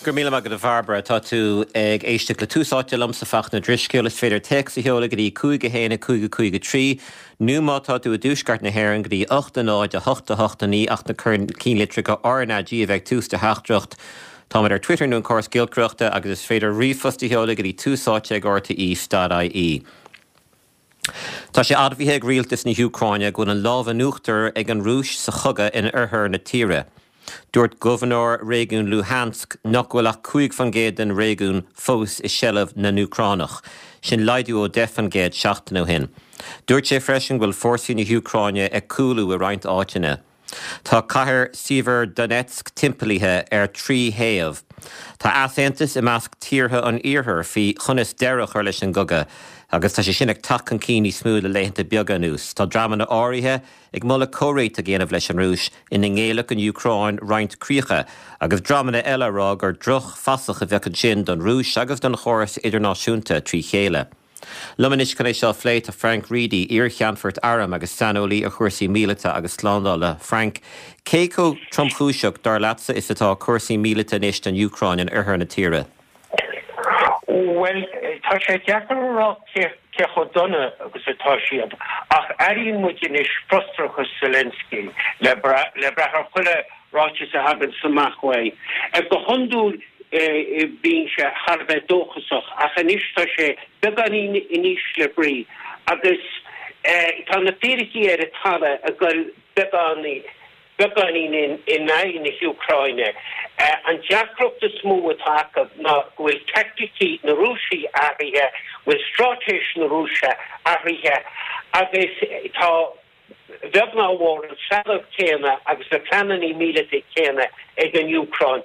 Go raibh míle maith agat a Bhairbre. Tá tú ag éisteacht le Tús Áite liomsa Fachtna Ó Drisceoil. Is féidir téacs a sheoladh go dtí 5 1 5 5 3 nó má tá tú i dtuaisceart na hÉireann go dtí 8 0 8 8 9 ach na cinnlitreacha RnaG a bheith ag tús do theachtaireacht. Táimid ar Twitter nó an córas giolcaireachta agus is féidir ríomhphost a sheoladh go dtí túsáite ag rte.ie. Tá sé admhaithe ag rialtas na hÚcráine go bhfuil an lámh in uachtar ag an Rúis sa chogadh in oirthear na tíre. Dúirt gobharnóir réigiún Luhansk nach bhfuil ach 5% den réigiún fós i seilbh na nÚcránach, sin laghdú ó 10% seachtain ó shin. Dúirt sé freisin go bhfuil fórsaí na hÚcráine ag cúlú i roinnt áiteanna. Tá cathair Sievierodonetsk timpeallaithe ar thrí thaobh. Tá easaontas i measc tíortha an iarthair faoi chonas deireadh a chur leis an gcogadh agus tá sé sin ag teacht chun cinn níos mó le laethanta beaga anuas. Tá dreamanna áirithe ag moladh comhréiteach a dhéanamh leis an Rúis ina ngéillfeadh an Úcráin roinnt críocha agus dreamanna eile á rá gur drochfhasach a bheadh ansin don Rúis agus don chóras idirnáisiúnta trí chéile. Liom anois chun é seo a phlé tá Frank Reidy, iar-cheannfort airm agus saineolaí ar chúrsaí míleata agus slándála. Frank, cé chomh tromchúiseach, dar leatsa, is atá cúrsaí míleata anois don Úcráin in oirthear na tíre? Bhuel, tá sé deacair a rá cé chomh dona agus atá siad, ach airíonn muid anois frustrachas Zelensky le brath ar chuile ráiteas a thaganns amach uaidh. Go hiondúil bíonn sé thar a bheith dóchasach ach anois tá sé beagáinín in ísle brí agus tá na fíricí ar an talamh ag dul beagáinín in aghaidh na hÚcráine. An deacracht is mó atá acu ná go bhfuil teaicticí na Rúise athraithe, bhfuil straitéis na Rúise athraithe agus tá a bheag ná a mhór, an trealamh céanna agus na pleananna míleata céanna ag an Úcráin.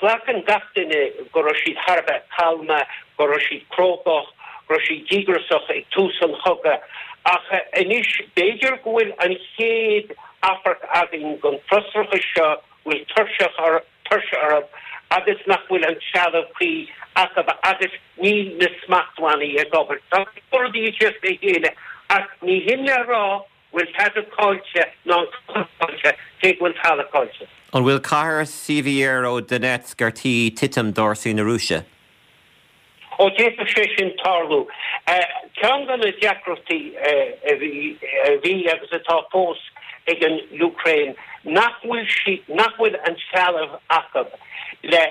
Glacann gach duine go raibh siad thar a bheith calma, go raibh siad crógach, go raibh siad díograiseach ag tús an chogaidh, ach anois b'fhéidir go bhfuil an chéad amharc againn den frustrachas seo, go bhfuil tuirse tuirse orthu agus nach bhfuil an trealamh cuí acu agus níl na smachtbhannaí ag obair. Tá go leor rudaí ag teacht le chéile ach ní hin le rá go bhfuil tada caillte ná an cogadh caillte, cé go bhfuil talamh caillte. An bhfuil cathair Sievierodonetsk ar tí titim d'fhórsaí na Rúise? Ó, d'fhéadfadh sé sin tarlú. Ceann de na deacrachtaí a bhí agus atá fós ag an Úcráin nach bhfuil sí, nach bhfuil an trealamh acu le,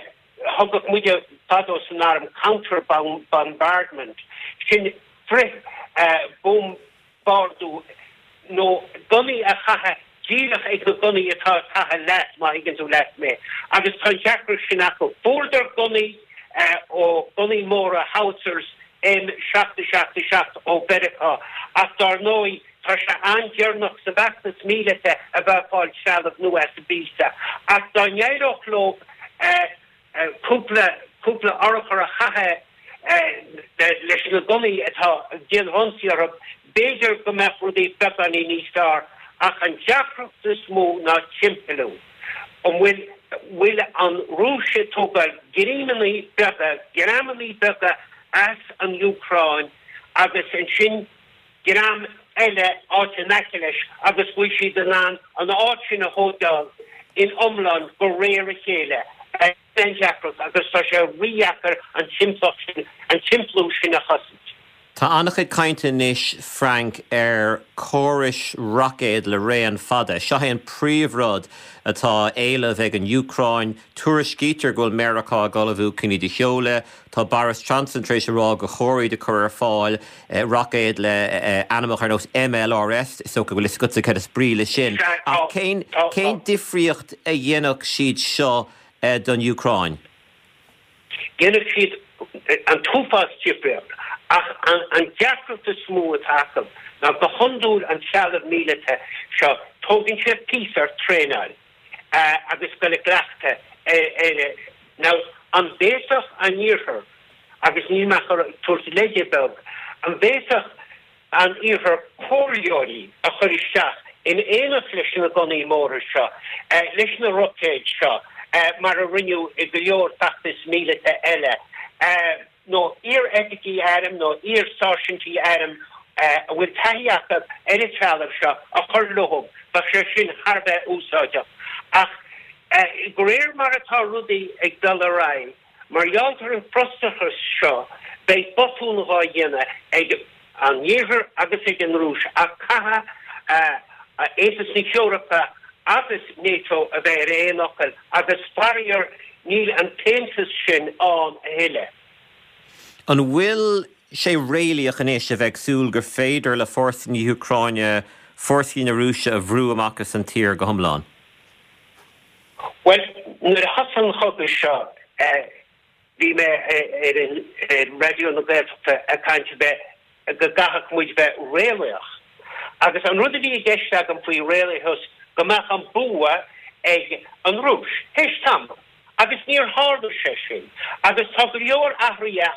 thugadh muide fadó san arm counter bombardment, sin frith bhombardú nó gunnaí a chaitheamh díreach ag na gunnaí atá ag caitheamh leat, má thuigeann tú leat mé. Agus tá an deacracht sin acu. Fuaireadar gunnaí ó, gunnaí móra, howitzers M777 ó Mheiriceá ach dár ndóigh tá sé an-deireanach sa bhfeachtas míleata a bheith ag fáil trealamh nua as an bpíosa. Ach dá n-éireodh leo cúpla, cúpla urchar a chaitheamh leis na gunnaí atá ag déanamh ionsaí orthu, b'fhéidir go mbeadh rudaí beagáinín níos fearr. Ach an deacracht is mó ná timpeallú. An bhfuil, bhfuil an Rúis ag tógáil greamannaí beaga, greamannaí beaga as an Úcráin agus ansin greim eile áit in aice leis agus go bhfuil siad in ann an áit sin a thógáil in iomlán de réir a chéile. Sin an deacracht agus tá sé rídheacair an timpeallacht sin, an timpeallú sin a chosaint. Tá an-chuid cainte anois, Frank, ar córais roicéad le raon fada. Seo é an príomhrud atá á éileamh ag an Úcráin. Tuairiscítear go bhfuil Meiriceá ag ullmhú chun iad a sheoladh. Tá Boris Johnson tar éis a rá gur chóir iad a chur ar fáil, roicéad le ainmneacha ar nós MLRS, is dócha go bhfuil fhios agatsa cad is brí leis sin. Ach cén cén difríocht a dhéanfadh siad seo don Úcráin? Dhéanfadh siad an t-uafás difríocht, ach an deacracht is mó atá acu ná go hiondúil an trealamh míleata seo, tógann sé píosa ort traenáil agus dul i gcleachtadh air. Now, an bhféadfadh an Iarthar, agus níl mé ach ag tabhairt leide beag, an bhféadfadh an Iarthar comhairleoirí a chur isteach in éineacht leis na gunnaí móra seo, leis na roicéid seo, mar a rinneadh i go leor feachtas míleata eile, nó iar-oifigigh airm nó iar-sáirsintí airm a bhfuil taithí acu ar an trealamh seo a chur leo, bheadh sé sin thar a bheith úsáideach. Ach. De réir mar atá rudaí ag dul ar aghaidh, mar gheall ar an frustrachas seo, beidh botún dhá dhéanamh ag an Iarthar agus ag an Rúis ach caithfidh Aontas na hEorpa agus NATO a bheith ar aon fhocal agus faraor níl an t-aontas sin ann a thuilleadh. An bhfuil sé réalaíoch anois a bheith ag súil gur féidir le fórsaí na hÚcráine fórsaí na Rúise a bhrú amach as an tír go hiomlán? Bhuel, nuair a thosaigh an chogadh seo, bhí mé ar Raidió na Gaeltachta ag caint bheith, go gcaithfeadh muid bheith réalaíoch. Agus an rud a bhí i gceist agam faoi réalaíochas, go mbeadh an bua ag an Rúis, théis tamaill. Agus níor tharla sé sin. Agus tá go leor athruithe a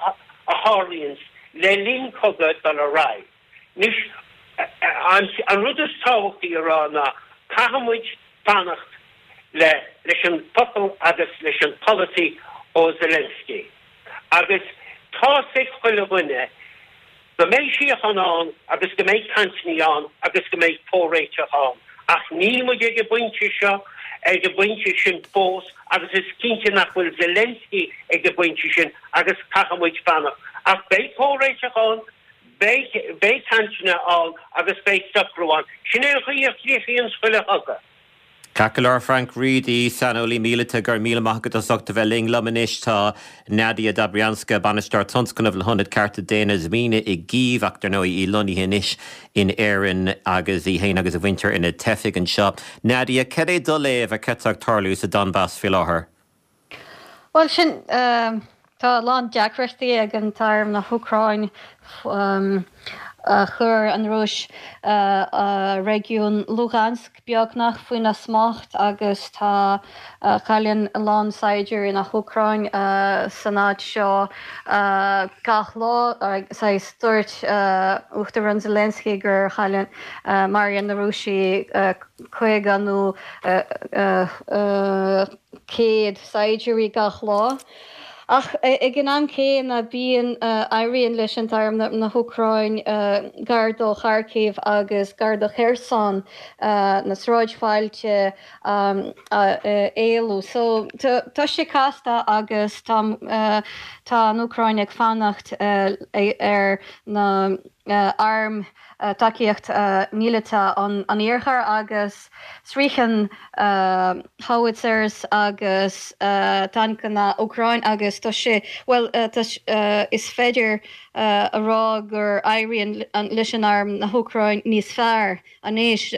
tharlaíonns le linn cogadh dul ar aghaidh. Anois, an rud is tábhachtaí a rá ná caithfidh muid fanacht le leis an focal agus leis an polasaí ó Zelensky. Agus tá's ag chuile dhuine go mbeidh síocháin ann agus go mbeidh cainteanna ann agus go mbeidh comhréiteach ann. Ach níl muid ag an bpointe seo, ag an bpointe sin fós agus is cinnte nach bhfuil Zelensky ag an bpointe sin agus caithfidh muid fanacht. Ach beidh comhréiteach ann. Beidh, beidh cainteanna ann agus beidh socrú ann. Sin é an chaoi a chríochnaíonns chuile chogadh. Ceart go leor, Frank Reidy, saineolaí míleata, go raibh míle maith agat as ucht a bheith linn. Liom anois tá Nadia Dobrianska, Bainisteoir Tionscnaimh le hIonad Cearta Daonna Zmina i gCív, ach dar ndóigh í lonnaithe anois in Éirinn agus í féin agus a muintir ina teifigh anseo. Nadia, cad é do léamh ar cad tá ag tarlú sa Donbas faoi láthair? Bhuel, sin, tá a lán deacrachtaí ag an t-arm na hÚcráin. Chuir an Rúis réigiún Luhansk beagnach faoina smacht agus tá, cailleann a lán saighdiúirí na hÚcráin san áit seo gach lá. Saghas, dúirt Uachtarán Zelensky gur chailleann, maraíonn na Rúisigh 50 nó 100 saighdiúirí gach lá. Ach ag an am céanna bíonn, éiríonn leis an t-arm na hÚcráin gar do Kharkiv agus gar do Kherson, na sráidbhailte a éalú. So tá sé casta agus tá tá an Úcráin ag fanacht ar na airm tacaíocht mhíleata an Iarthair agus sroicheann howitzers agus tancanna Úcráin agus tá sé, bhuel, is féidir a rá gur éiríonn leis an arm na hÚcráin níos fearr anois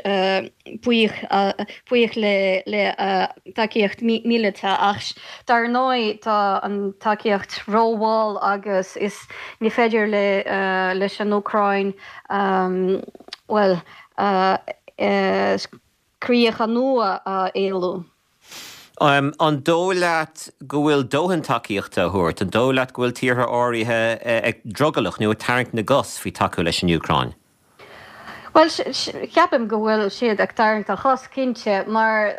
buíoch le tacaíocht míleata ach dar ndóigh tá an tacaíocht rómhall agus is ní féidir leis an Úcráin, bhuel, críocha nua a éalú. An dóigh leat go bhfuil dóthain tacaíochta á thabhairt? An dóigh leat go bhfuil tíortha áirithe ag drogallach nó ag tarraingt na gcos faoi tacú leis an Úcráin? Bhuel, ceapaim go bhfuil siad ag tarraingt a chos, cinnte, mar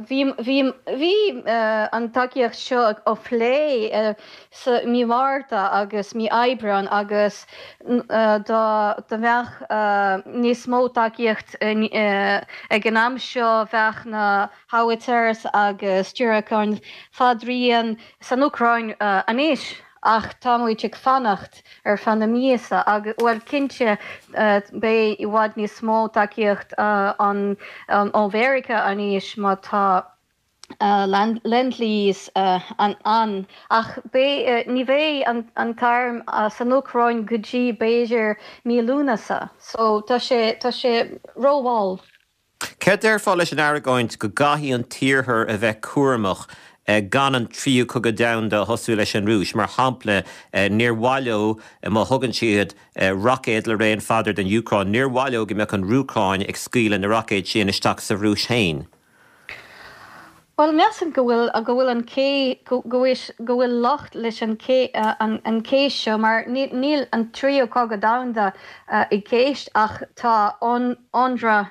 bhí, bhí, bhí an tacaíocht seo á phlé sa mí Márta agus mí Aibreáin agus dá mbeadh níos mó tacaíocht ag an am seo bheadh na howitzers agus diúracáin fadraoin san Úcráin anois. Ach tá muid ag fanacht ar feadh na míosa agus, bhuel, cinnte beidh i bhfad níos mó tacaíocht ann ó Mheiriceá anois má tá Lend-Lease ann. Ach beidh, ní bheidh an t-arm san Úcráin go dtí b'fhéidir mí Lúnasa. So tá sé, tá sé rómhall. Céard déarfá leis an argóint go gcaithfidh an tIarthar a bheith cúramach gan an tríú cogadh domhanda a thosú leis an Rúis? Mar shampla, níor mhaith leo má thugann siad roicéad le raon fada don Úcráin, níor mhaith leo go mbeadh an Úcráin ag scaoileadh na roicéad sin isteach sa Rúis féin. Bhuel, measaim go bhfuil, go bhfuil an cé, go bhfuil, go bhfuil locht leis an cé, an chéist seo mar níl an tríú cogadh domhanda i gceist ach tá ionradh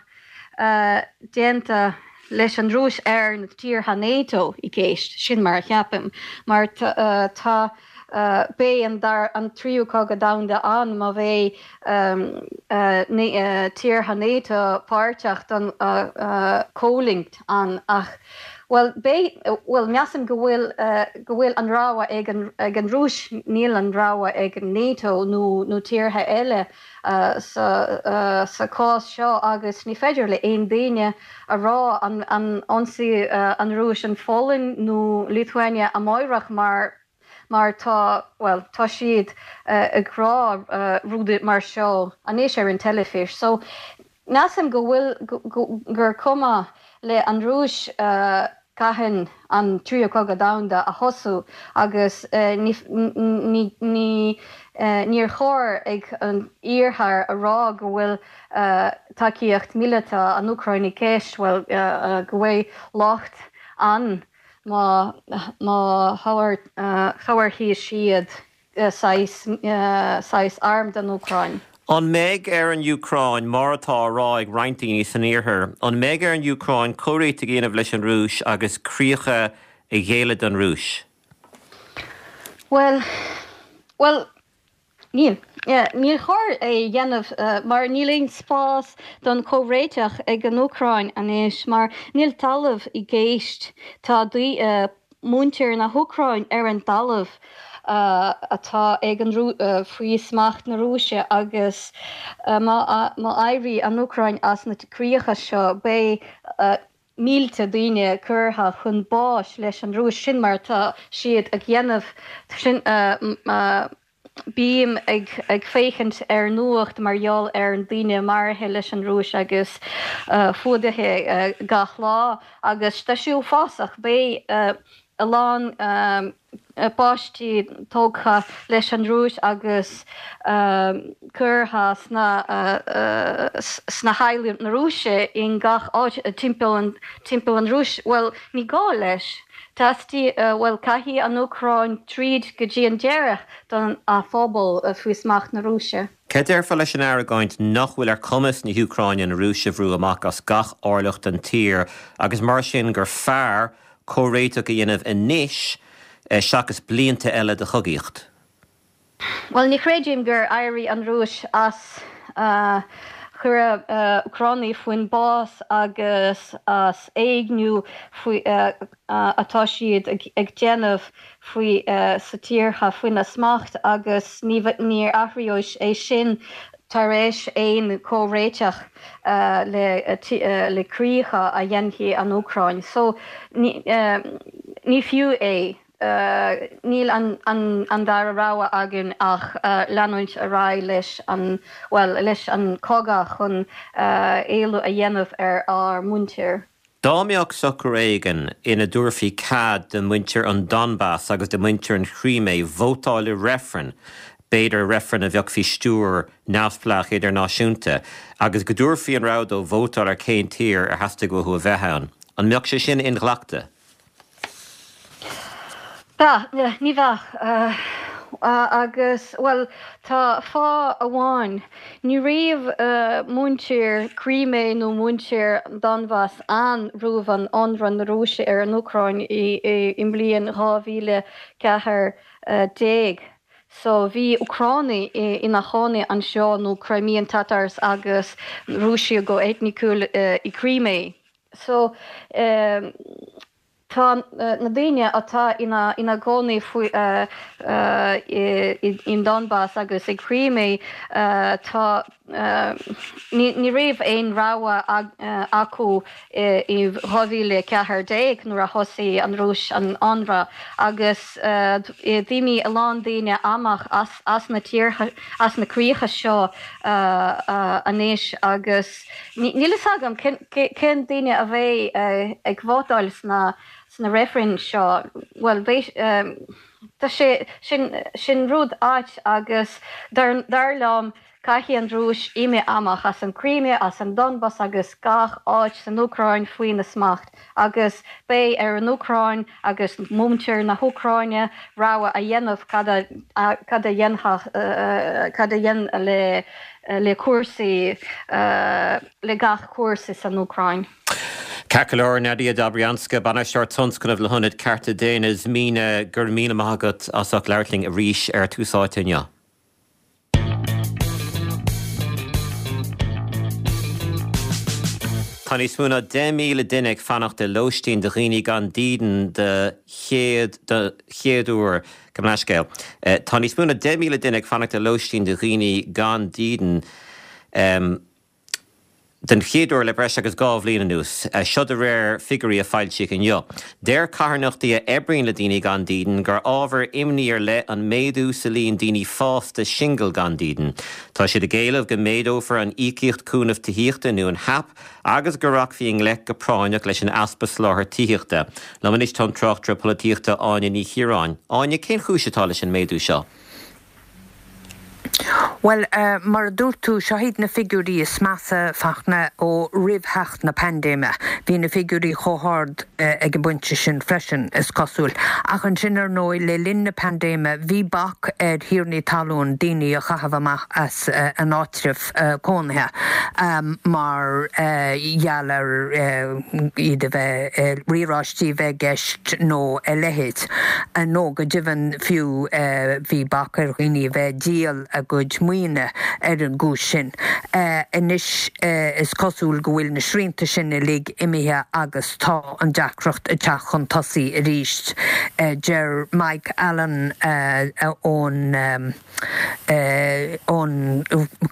déanta leis an Rúis ar na tíortha NATO i gceist, sin mar a cheapaim, mar tá. Beidh an tríú cogadh domhanda ann má bheidh tíortha NATO páirteach don choimhlint ann ach, Bhuel, beidh, bhuel, measaim go bhfuil, go bhfuil an rogha ag an, ag an Rúis, níl an rogha ag NATO nó, nó tíortha eile sa, sa cás seo agus ní féidir le aon duine a rá an, an ionsaí an Rúis an Pholainn nó Lithuania amáireach mar, mar tá, bhuel, tá siad ag rá rudaí mar seo anois ar an teilifís. So, Measaim go bhfuil, gur cuma le an Rúis cathain an Tríú Cogadh Domhanda a thosú agus ní, níor chóir ag an Iarthar a rá go bhfuil tacaíocht míleata an Úcráin i gceist, bhuel, go bhfuil locht ann má, má thabharfaidh siad saghas, saghas arm don Úcráin. An mbeidh ar an Úcráin, mar atá á rá ag roinnt daoine san Iarthar, an mbeidh ar an Úcráin comhréiteach a dhéanamh leis an Rúis agus críocha a ghéilleadh don Rúis? Bhuel, bhuel, níl. Níor chóir é a dhéanamh mar níl aon spás don chomhréiteach ag an Úcráin anois mar níl talamh i gceist. Tá muintir na hÚcráin ar an dtalamh atá ag an faoi smacht na Rúise agus má éirí an Úcráin as na críocha seo beidh mílte daoine curtha chun báis leis an Rúis. Sin mar atá siad ag dhéanamh. Sin Bím ag féachaint ar nuacht mar gheall ar an daoine maraithe leis an Rúis agus fuadaithe gach lá agus tá sé uafásach. Beidh a lán páistí tógtha leis an Rúis agus curtha sna sna theaghlaigh na Rúise in gach áit timpeall an timpeall an Rúis. Bhuel, ní gá leis. Teastaí, bhuel, caithfidh an Úcráin troid go dtí an deireadh don a phobal faoi smacht na Rúise. Cad déarfá leis an argóint nach bhfuil ar chumas na hÚcráine an Rúis a bhrú amach as gach orlach den tír agus mar sin gur fearr comhréiteach a dhéanamh anois seachas blianta eile de chogaíocht? Bhuel, ní chreidim gur éirigh an Rúis as cuireadh Úcránaigh faoin bás agus as éigniú faoi atá siad ag déanamh faoi sa tíortha faoina smacht agus ní níor athraíodh é sin tar éis aon comhréiteach le le críocha a dhéanfaidh an Úcráin. So ní ní fiú é. Níl an dara rogha againn ach leanúint ar aghaidh leis an, bhuel, leis an cogadh chun éalú a dhéanamh ar ár muintir. Dá mbeadh socrú éigin ina dtabharfaí cead do mhuintir an Donbas agus do mhuintir an Chrímé vótáil i reifreann, b'fhéidir reifreann a bheadh faoi stiúir neamhspleách idirnáisiúnta, agus go dtabharfaí an rogha dóibh vótáil ar cén tír ar theastaigh uathu a bheith ann, an mbeadh sé sin inghlactha? Bheadh, ní bheadh. Agus, bhuel, tá fáth amháin. Ní raibh muintir Crimea nó muintir Donbas ann roimh an ionradh na Rúise ar an Úcráin i mbliain 2014. So, bhí Úcránaigh ina chónaí anseo, nó Crimean Tatars agus Rúisigh go eitniciúil i Crimea. So, tá na daoine atá ina ina gcónaí faoi in Donbas agus i Crimea, tá, ní ní raibh aon rogha acu i 2014 nuair a thosaigh an Rúis an ionradh agus d'imigh a lán daoine amach as as na tíortha, as na críocha seo anois agus. Níl fhios agam cén daoine a bheidh ag vótáil sna sna reifrinn seo. Bhuel, beidh, tá sé, sin, sin rud ait agus dar, dar liom caithfidh an Rúis imigh amach as an Crimea, as an Donbas agus gach áit san Úcráin faoina smacht agus beidh ar an Úcráin agus muintir na hÚcráine rogha a dhéanamh cad a, cad a dhéanfadh, cad a dhéanamh le le cúrsaí, le gach cúrsaí san Úcráin. Ceart go leor, Nadia Dobrianska, Bainisteoir Tionscnaimh le hIonad Cearta Daonna Zmina, go raibh míle maith agat as ucht labhairt linn arís ar Tús Áite inniu. Tá níos mó ná 10,000 duine ag fanacht i lóistín do dhaoine gan dídean de chéad de chéad uair. Gabh mo leithscéal. Tá níos mó ná 10,000 duine ag fanacht i lóistín do dhaoine gan dídean den chéad uair le breis agus 2 bhliain anuas. Seo de réir figiúirí a foilsíodh inniu. Deir carthanachtaí a oibríonn le daoine gan dídean gur ábhar imní ar leith an méadú sa líon daoine fásta singil gan dídean. Tá siad ag éileamh go méadófar an íocaíocht cúnaimh tithíochta nó an HAP agus go rachfaí i ngleic go práinneach leis an easpa soláthair tithíochta. Liom anois tá an tráchtaire polaitíochta Áine Ní Chiaráin. Áine, cén chúis atá leis an méadú seo? Bhuel, mar a dúirt tú, seo iad na figiúirí is measa, Fachtna, ó roimh theacht na paindéime. Bhí na figiúirí chomh hard ag an bpointe sin freisin, is cosúil. Ach ansin, ar ndóigh, le linn na paindéime, bhí bac ar thiarnaí talún daoine a chaitheamh amach as a n-áitreabh cónaithe mar gheall ar iad a bheith, riaráistí a bheith i gceist nó a leithéid. Nó go deimhin fiú bhí bac ar dhaoine a bheith ag díol a gcuid maoine ar an gcúis sin. Anois is cosúil go bhfuil na srianta sin uilig imithe agus tá an deacracht ag teacht chun tosaigh arís. Deir Mike Allen ón. ón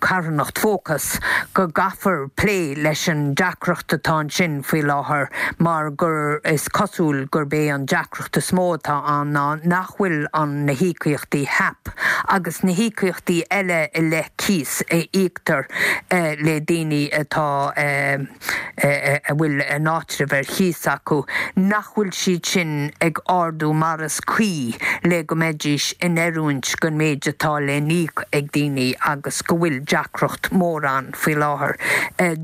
charthanacht Focus go gcaithfear plé leis an deacracht atá ansin faoi láthair mar gur is cosúil gurb é an deacracht is mó atá ann ná nach bhfuil an na híocaíochtaí HAP agus na híocaíochtaí eile i leith cíos a íoctar le daoine atá a bhfuil a n-áitreabh ar chíos acu, nach bhfuil siad sin ag ardú mar is cuí le go mbeidís in oiriúint don méid atá le n-íoc ag daoine agus go bhfuil deacracht mór ann faoi láthair.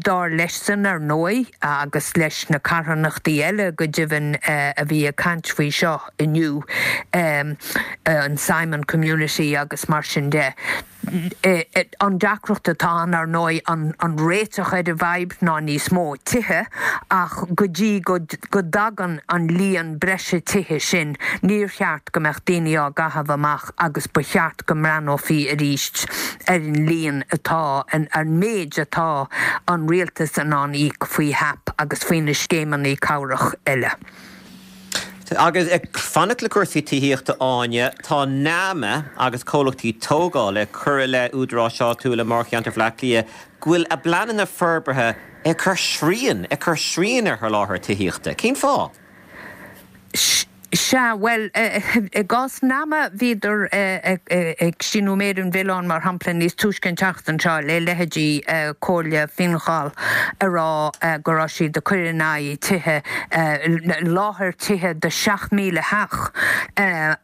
Dar leis-san, ar ndóigh, agus leis na carthanachtaí eile go deimhin a bhí ag caint faoi seo inniu, an Simon Community agus mar sin de, An deacracht atá ann, ar ndóigh, an réiteach ar an bhfadhb ná níos mó tithe, ach go dtí go dtagann an líon breise tithe sin, níor cheart go mbeadh daoine á gcaitheamh amach agus ba cheart go mbreathnófaí arís ar an líon atá, an méid atá an rialtas in ann íoc faoi HAP agus faoi na scéimeanna cabhrach eile. Agus ag fanacht le cúrsaí tithíochta Áine, tá NAMA agus comhlachtaí tógála ag cur i leith údaráis áitiúla i mórcheantar Bhaile Átha Cliath go bhfuil a bpleananna forbartha ag cur srian ag cur srian ar sholáthar tithíochta. Cén fáth? Sea, bhuel, i gcás NAMA, bhíodar ag síniú méir an mhilleáin, mar shampla, níos túisce an tseachtain seo le leithéidí Comhairle Fine Gall ag rá go raibh siad ag cur in aghaidh tithe, láthair tithe do 7,000 theach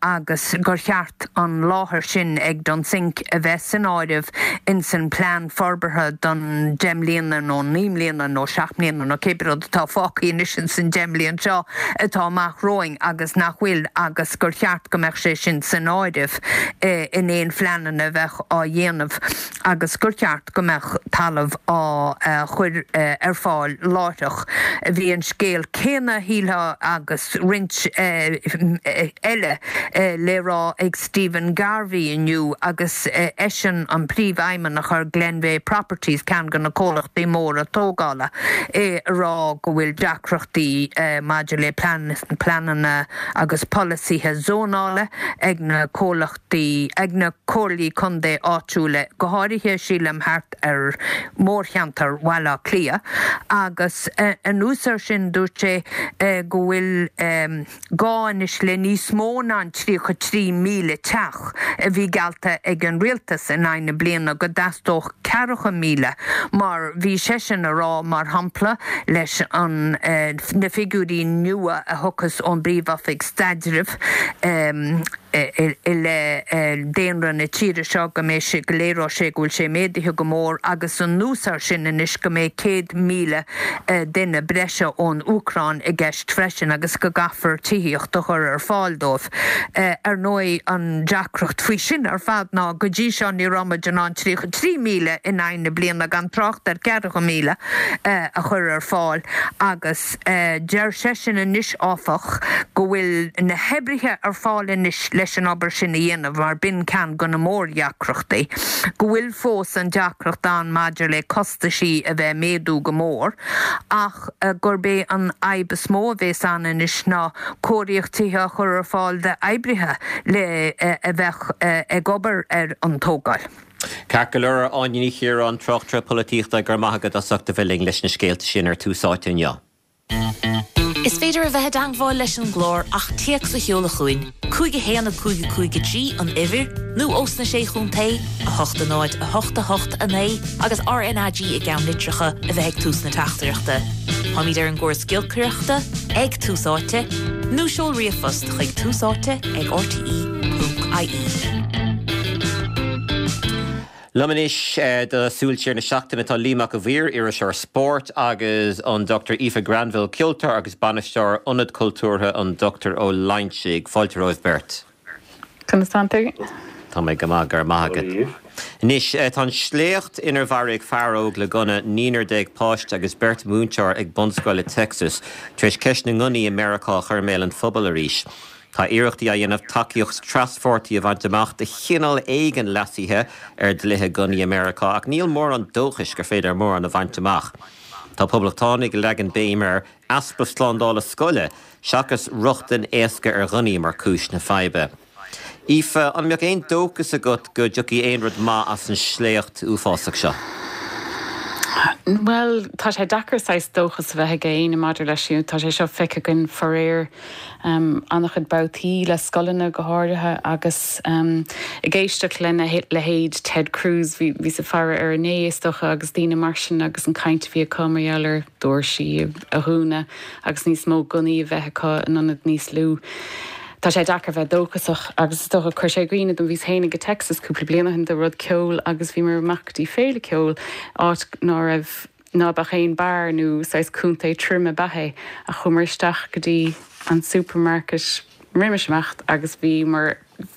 agus gur cheart an láthair sin ag Dunsink a bheith san áireamh ins an plean forbartha don 10 mbliana nó 9 mbliana nó 7 mbliana nó cébí rud atá fágtha anois ins an 10 mbliain seo atá amach romhainn agus nach bhfuil agus gur cheart go mbeadh sé sin san áireamh in aon phleananna a bheadh á dhéanamh agus gur cheart go mbeadh talamh á chur ar fáil láithreach. Bhí an scéal céanna, shílfeá, agus roinnt eile le rá ag Stephen Garvey inniu agus eisean an príomhfheidhmeannach ar Glenveagh Properties, ceann de na comhlachtaí móra tógála, é ag rá go bhfuil deacrachtaí maidir le pleananna agus polasaithe zónála ag na comhlachtaí. ag na comhairlí contae áitiúla, go háirithe, sílim, thart ar mhórcheantar Bhaile Átha Cliath, agus anuas air sin, dúirt sé go bhfuil gá anois le níos mó ná an 33,000 teach a bhí geallta ag an rialtas in aghaidh na bliana, go dteastódh 40,000, mar bhí seisean a rá, mar shampla, leis an na figiúirí nua a thiocfas ón bPríomh-Oifig Staidrimh. i leith daonra na tíre seo, go mbeidh sé, go léireoidh sé go bhfuil sé méadaithe go mór agus anuas air sin anois go mbeidh 100,000 duine breise ón Úcráin i gceist freisin agus go gcaithfear tithíocht a chur ar fáil dóibh. Ar ndóigh an deacracht faoi sin ar fad ná go dtí seo ní raibh muid in ann 33,000 in aghaidh na bliana gan trácht ar 40,000 a chur ar fáil agus deir seisean anois áfach go bhfuil. bhfuil na hoibrithe ar fáil anois leis an obair sin a dhéanamh mar b'in ceann de na mórdheacrachtaí, go bhfuil fós an deacracht ann maidir le costaisí a bheith ag méadú go mór ach gurb é an fhadhb is mó a bhéas ann anois ná cóiríocht tithe a chur ar fáil d'oibrithe le a bheadh ag obair ar an tógáil. Ceart go leor, Áine Ní Chiaráin, tráchtaire polaitíochta, go raibh maith agat as ucht a bheith linn leis na scéalta sin ar Tús Áite inniu. Is féidir a bheith i dteangmháil leis an gclár ach téacs a sheoladh chugainn, 5 1 5 5 3 an uimhir, nó ós na Sé Chontae, 8 0 8 8 9 agus RnaG i gceannlitreacha a bheith ag tús na teachtaireachta. Táimid ar an gcóras giolcaireachta, ag Tús Áite, nó seol ríomhphost chuig túsáite ag rte ponc ie. Liom anois do Súil Siar na Seachtaine tá Liam Mac a' Mhaoir, iriseoir spóirt, agus an Dr Aoife Granville, ceoltóir agus bainisteoir Ionad Cultúrtha an Dr Ó Loingsigh. Fáilte romhaibh beirt. Conas tánn tú? Tá mé go maith, go raibh maith agat. Anois, tá an sléacht inar mharaigh fear óg le gunna naonúr déag páiste agus beirt mhúinteoir ag bunscoil i Texas tar éis ceist na ngunnaí i Meiriceá a chur i mbéal an phobail arís. Tá iarrachtaí á dhéanamh tacaíocht traspháirtí a bhaint amach do chineál éigin leasaithe ar dhlíthe gunnaí i Meiriceá ach níl mórán dóchais gur féidir mórán a bhaint amach. Tá poblachtánaigh ag leagan béim ar easpa slándála scoile seachas rochtain éasca ar ghunnaí mar chúis na faidhbe. Aoife, an mbeadh aon dóchas agat go dtiocfaidh aon rud maith as an sléacht uafásach seo? Bhuel, tá sé deacair saghas dóchas a bheith ag éinne maidir leis. Tá sé seo feicthe againn faraor an-chuid babhtaí le scoileanna go háirithe agus ag éisteacht lena leithéid Ted Cruz, bhíos ag faire air inné is dócha agus daoine mar sin agus an chaint a bhí acu mar gheall ar doirsí a dhúnadh agus níos mó gunnaí a bheith acu in ionad níos lú. Tá sé deacair bheith dóchasach agus is dócha chuir sé i gcuimhne dom, bhíos féinig i Texas cúpla bliain ó shin do rud ceoil agus bhíomar amach go dtí féile ceoil, áit ná raibh, ná beadh aon beár nó saghas contae tirim ab ea é ach chuamar isteach go dtí an supermarket roimis imeacht agus bhíomar,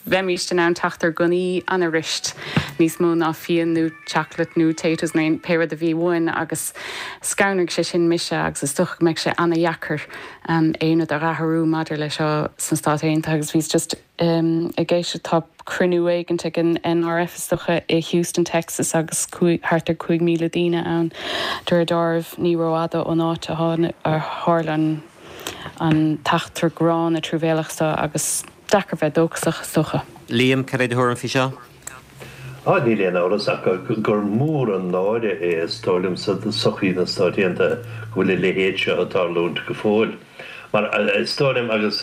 bheimíst in ann teacht ar gunnaí an-fhuirist, níos mó ná fíon nó chocolate nó potatoes nó pé rud a bhí uainn agus scanraigh sé sin mise agus is dócha go mbeidh sé an-dheacair aon rud a dh'athrú maidir le seo sna Stáit Aontaithe agus bhíos just ag éisteacht, tá cruinniú éigint ag an NRF is dócha i Houston, Texas agus thart ar 5,000 daoine ann de réir dealraimh, ní rófhada ón áit a tharla an t-eachtra gránna truamhéalach seo agus deacair bheith dóchasach is dócha. Liam, cad é do thuairim faoi seo? Á, níl aon amhras ach gur mór an náire é, is dóigh liomsa, do sochaí na Stát Aontaithe go bhfuil a leithéid seo ag tarlúint go fóill. Mar is dóigh liom, agus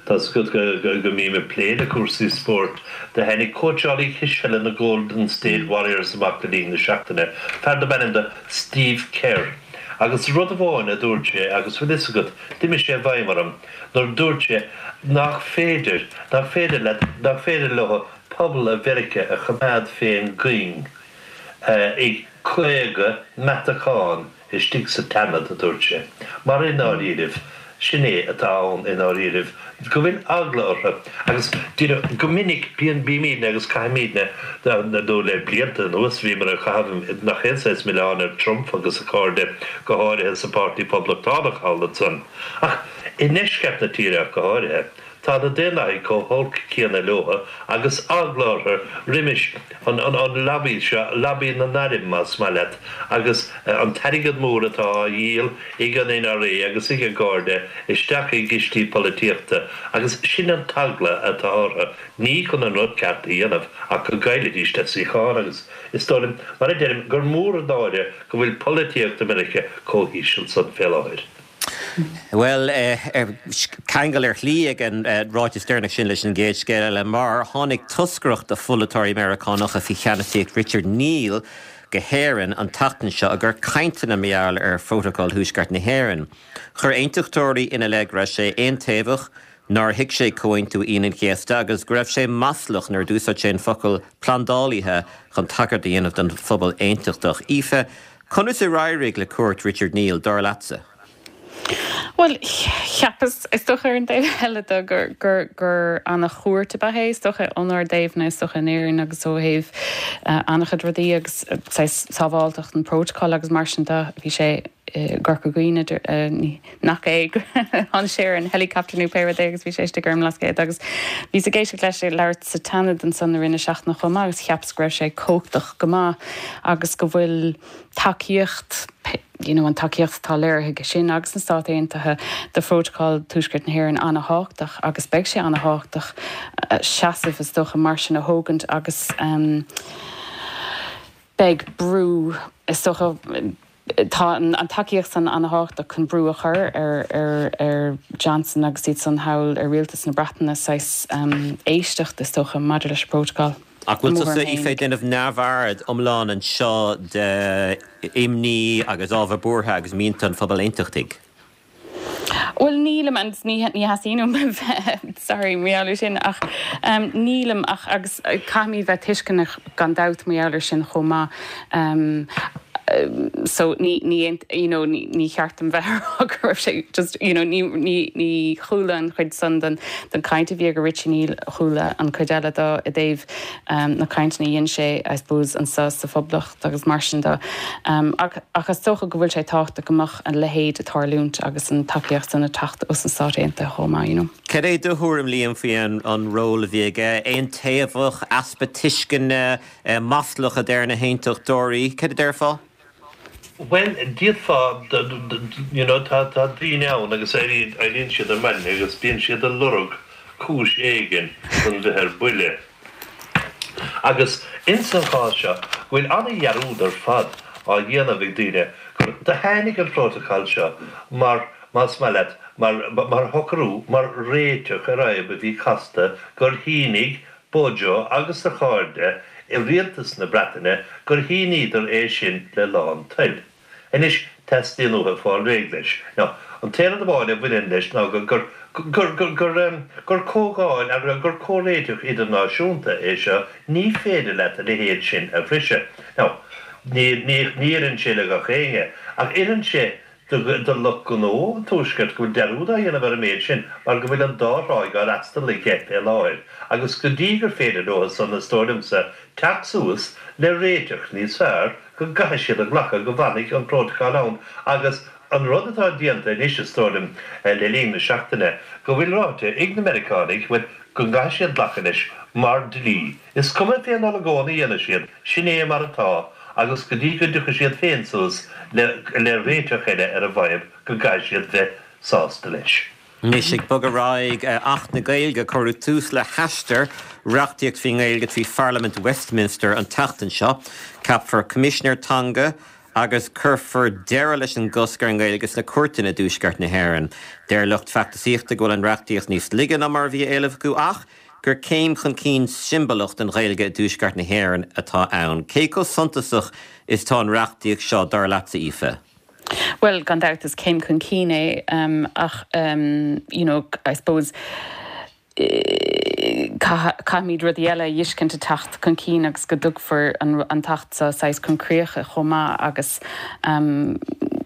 tá's agat go mbím ag plé le cúrsaí spóirt, do tháinig cóitseálaí cispheile na Golden State Warriors amach le linn na seachtaine, fear darb ainm do Steve Kerr, agus rud amháin a dúirt sé, agus bhfuil fhios agat, d'imigh sé i bhfeidhm orm, nuair dúirt sé nach féidir, nach féidir leat, nach féidir leo pobal Mheiriceá a choimeád fén gcuing ag 50 meatachán istigh sa tSeanad, a dúirt sé. Mar i ndáiríribh, sin é atá ann i ndáiríribh, go bhfuil eagla orthu. Agus díreach, go minic, bíonn, bímídne agus caithimídne, nó le blianta anuas bhíomar ag caitheamh nach aon saghas milleáin ar Trump agus a chairde, go háirithe sa Pháirtí Poblachtánach thall ansan. Ach i ndeisceart na tíre ach go háirithe, Tá na Daonlathaigh chomh holc céanna leo agus eagla orthu roimis an lobby seo, lobby na n-airm más maith leat, agus an t-airgead mór atá á dhíol ag an NRA agus ag a gcairde isteach i gcistí polaitíochta agus sin an t-eagla atá orthu, ní chun an rud ceart a dhéanamh ach go gcaillfidís a suíocháin agus is dóigh liom, mar a deirim, gur mór an náire go bhfuil polaitíocht i Meiriceá chomh híseal san fé láthair. Bhuel, ceangal ar shlí ag an ráiteas deireanach sin leis an gcéad scéal eile, mar tháinig toscaireacht de pholaiteoirí Meiriceánacha faoi cheannasaíocht Richard Neal go hÉirinn an tseachtain seo i gcomhair cainteanna mar gheall ar Phrótacal Thuaisceart na hÉireann. Chuir aontachtóirí ina leith go raibh sé aontaobhach, nár thuig sé Comhaontú Aoine an Chéasta agus go raibh sé maslach nuair a d'úsáid sé an focal 'plandálaithe' chun tagairt a dhéanamh don phobal aontachtach. Aoife, Conas ar éirigh le cuairt Richard Neal, dar leatsa? Bhuel, cheapas, is dócha, ar an dtaobh eile de, gur, gur, gur ana-chuairt ab ea é, is dócha, ónár dtaobhna, is dócha, in Éirinn agus ó thaobh an-chuid rudaí agus saghas sábháilteacht an prótacail agus mar sin de, bhí sé. gCorca Dhuibhne, nach é, tháinig sé ar an helicopter nó pé rud é agus bhí sé istigh ar an mBlascaod agus bhíos ag éisteacht leis ag labhairt sa tSeanad ansan i rith na seachtaine chomh maith agus cheapas go raibh sé cumhachtach go maith agus go bhfuil tacaíocht, you know an tacaíocht atá léirithe aige sin agus na Stáit Aontaithe do Phrótacal Tuaisceart na hÉireann ana-thábhachtach agus beidh sé ana-thábhachtach seasamh is dócha mar sin a thógaint agus beidh brú is dócha tá an tacaíocht san ana-thábhachtach chun brú a chur ar ar ar Johnson agus iad san thall ar rialtas na Breataine saghas éisteacht is dócha maidir leis an bprótacal. Ach bhfuil tusa, Aoife, ag déanamh neamhaird iomlán anseo de imní agus ábhar buartha agus mianta an phobail aontachtaigh? Bhuel, nílim, agus ní theastaíonn uaim a bheith, sorry, mar gheall air sin, ach nílim ach, agus caithfimid bheith tuisceanach gan dabht mar gheall air sin chomh maith. So ní, ní, you know, ní cheart dom bheith ag rá go raibh sé just, you know, ní, ní, ní chuala an chuid san den, den chaint a bhí ag Richie ní chuala an chuid eile de i dtaobh na cainteanna a dhein sé, I suppose, anso sa Phoblacht agus mar sin de. Ach, ach is dócha go bhfuil sé tábhachtach go mbeadh a leithéid ag tarlúint agus an tacaíocht san ag teacht ós na Stáit Aontaithe chomh maith, you know. Cad é do thuairim, Liam, faoi an, an ról a bhí aige? Aontaobhach, easpa tuisceana, Maslach a deir na haontachtóirí. Cad a déarfá? Bhuel, d'fhéadfá, you know, tá daoine ann agus éiríonn siad ar maidin agus bíonn siad ag lorg cúis éigin chun bheith ar buile. Agus ins an chás seo, go bhfuil an-dhearúd ar fad á dhéanamh ag daoine gur do tháinig an prótacal seo mar, más maith leat, mar, mar shocrú, mar réiteach ar fhadhb a bhí casta gur shínigh Bojo agus a chairde i rialtas na Breataine gur shíníodar é sin le lán toil. Anois teastaíonn uathu fáil réidh leis. Now, an t-aon rud amháin a bhaineann leis ná gur, gur, gur, gur, gur, em, gur comhdháil, ar, gur comhréiteach idirnáisiúnta é seo, ní féidir leat a leithéid sin a bhriseadh. Now, ní, ní, ní oireann sé le gach éinne, ach oireann sé do lucht gnó an Tuaiscirt go bhfuil dearúd á dhéanamh ar an méid sin mar go bhfuil an dá thráigh á fhreastal aige fé láthair agus go dtí gur féidir leo san, is dóigh liomsa, teacht suas le réiteach níos fearr go gcaithfidh siad a ghlacadh go bhfanfaidh an prótacal ann agus an rud atá déanta anois, is dóigh liom, le linn na seachtaine, go bhfuil ráite ag na Meiriceánaigh, bhuel, go gcaithfidh siad glacadh leis mar dlí. Is cuma fén olagón a dhéanfaidh siad, sin é mar atá, agus go dtí go dtiocfaidh siad féin suas le le réiteach eile ar an bhfadhb go gcaithfidh siad bheith sásta leis. Anois, ag bogadh ar aghaidh, Acht na Gaeilge, cuireadh tús le haistear reachtaíocht faoin nGaeilge trí Pharlaimint Westminster an tseachtain seo. Ceapfar Coimisinéir Teanga agus cuirfear deireadh leis an gcosc ar an nGaeilge sna cúirteanna i dTuaisceart na hÉireann. Deir lucht feachtasaíochta go bhfuil an reachtaíocht níos laige ná mar a bhí á éileamh acu ach gur céim chun cinn siombalach don Ghaeilge i dTuaisceart na hÉireann atá ann. Cé chomh suntasach is atá an reachtaíocht seo, dar leatsa, Aoife? Bhuel, gan dabht is céim chun cinn é ach you know, I suppose caithfimid rudaí eile a fheiscint ag teacht chun cinn agus go dtugfar an tAcht seo saghas chun críocha chomh maith agus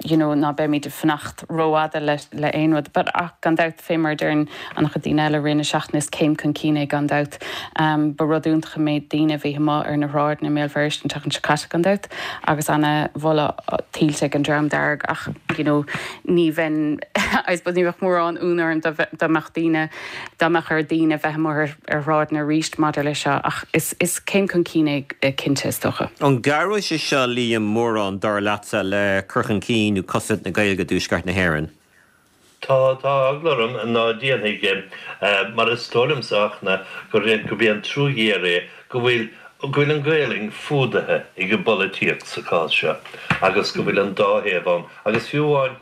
you know ná beimid ag fanacht rófhada le aon rud. But ach gan dabht fé mar a deireann an-chuid daoine eile i rith na seachtaine, is céim chun cinn é gan dabht. Ba rud iontach an méid daoine a bhí amuigh ar na shráideanna i mBéal Feirste an tseachtain seo caite gan dabht agus ana-mholadh tuillte ag an Dream Dearg ach you know ní bheinn I suppose ní bheadh mórán ionadh orm dá mbeadh daoine dá mbeadh ar daoine bheith amuigh ar shráideanna arís maidir leis seo ach is is céim chun cinn é cinnte is dócha. An gcabhróidh sé seo Liam mórán dar leatsa le cur chun cinn nó cosaint na Gaeilge i dTuaisceart na hÉireann? Tá, tá eagla orm ná déanfaidh, mar is dóigh liomsa a Fhachtna gurb é an trua ghéar é go bhfuil, go bhfuil an Ghaelainn fuadaithe ag an bpolaitíocht sa chás seo agus go bhfuil an dá thaobh ann agus fiú amháin